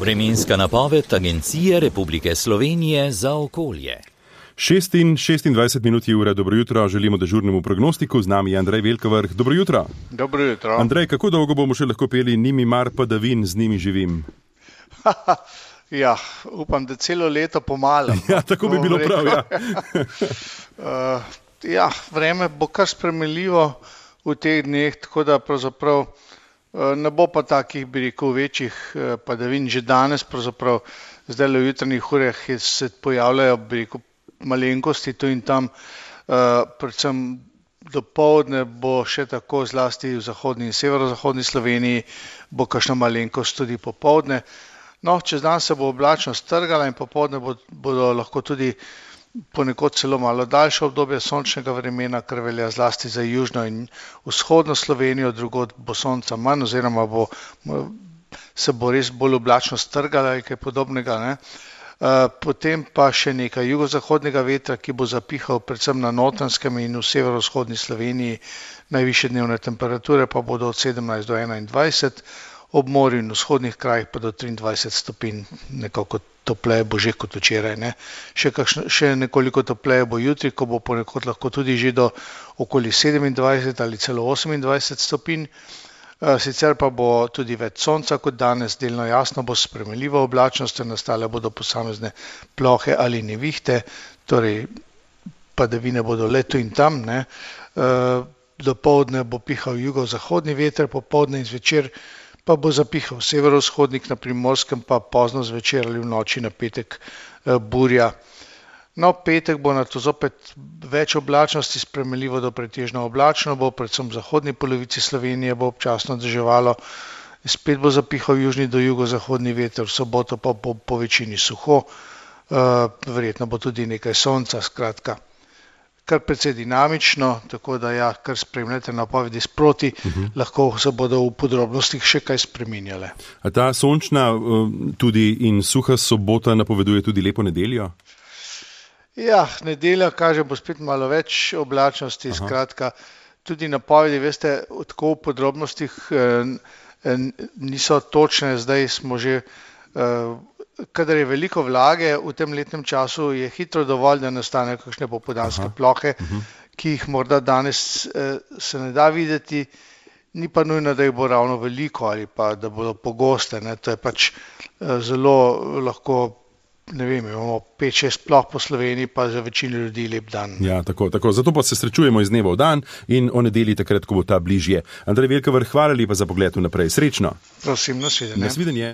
Vremenska napoved Agencije Republike Slovenije za okolje. 26 minut je ura, dobro jutro, želimo dežurnemu prognostiku, z nami je Andrej Velkovrh. Dobro jutro. Dobro jutro. Andrej, kako dolgo bomo še lahko peli Ni mi mar padavin, z njimi živim? Ja, upam, da celo leto pomalo. Ja, tako bi bilo prav, ja. Ja, vreme bo kar spremenljivo v teh dneh, tako da pravzaprav ne bo pa takih, bi rekel, večjih padavin. Že danes pravzaprav, zdaj v jutranjih urah se pojavljajo, bi rekel, malenkosti tu in tam, predvsem dopoldne bo še tako, zlasti v zahodni in severozahodni Sloveniji, bo kakšna malenkost tudi popoldne. No, čez dan se bo oblačnost strgala in popoldne bodo lahko tudi ponekod celo malo daljše obdobje sončnega vremena, kar velja zlasti za južno in vzhodno Slovenijo, drugod bo sonca manj oziroma se bo res bolj oblačno strgala ali kaj podobnega, ne. Potem pa še nekaj jugozahodnega vetra, ki bo zapihal predvsem na Notranjskem in v severovzhodni Sloveniji. Najvišje dnevne temperature pa bodo od 17 do 21, ob morju in vzhodnih krajih pa do 23 stopinj, nekako topleje bo že kot včeraj, ne. Še nekoliko topleje bo jutri, ko bo ponekod lahko tudi že do okoli 27 ali celo 28 stopinj. Sicer pa bo tudi več sonca kot danes, delno jasno bo spremenljiva oblačnost, nastale bodo posamezne plohe ali nevihte, torej padavine bodo le tu in tam, ne. Dopoldne bo pihal jugozahodni veter, popoldne in zvečer pa bo zapihal severovzhodnik, na Primorskem pa pozno zvečer ali v noči na petek burja. No, petek bo nato zopet več oblačnosti, spremenljivo do pretežno oblačno, bo predvsem v zahodni polovici Slovenije bo občasno deževalo, spet bo zapihal južni do jugozahodni veter, v soboto pa bo po večini suho, verjetno bo tudi nekaj sonca, skratka. Kar precej dinamično, tako da ja, kar spremljate napovedi sproti, lahko se bodo v podrobnostih še kaj spreminjale. A ta sončna tudi in suha sobota napoveduje tudi lepo nedeljo? Ja, nedelja kaže, bo spet malo več oblačnosti, skratka, tudi napovedi, veste, tako v podrobnostih niso točne, zdaj smo že, kadar je veliko vlage v tem letnem času, je hitro dovolj, da nastanejo kakšne popoldanske plohe, ki jih morda danes se ne da videti, ni pa nujno, da jih bo ravno veliko ali pa da bodo pogoste, ne, to je pač zelo lahko. Ne vem, imamo 5-6 ploh po Sloveniji, pa za večino ljudi lep dan. Ja, tako. Zato pa se srečujemo iz dneva v dan in o nedelji takrat, ko bo ta bližje. Andrej Velkovrh, hvala lepa za pogled vnaprej. Srečno. Prosim, nasvidenje. Nasvidenje.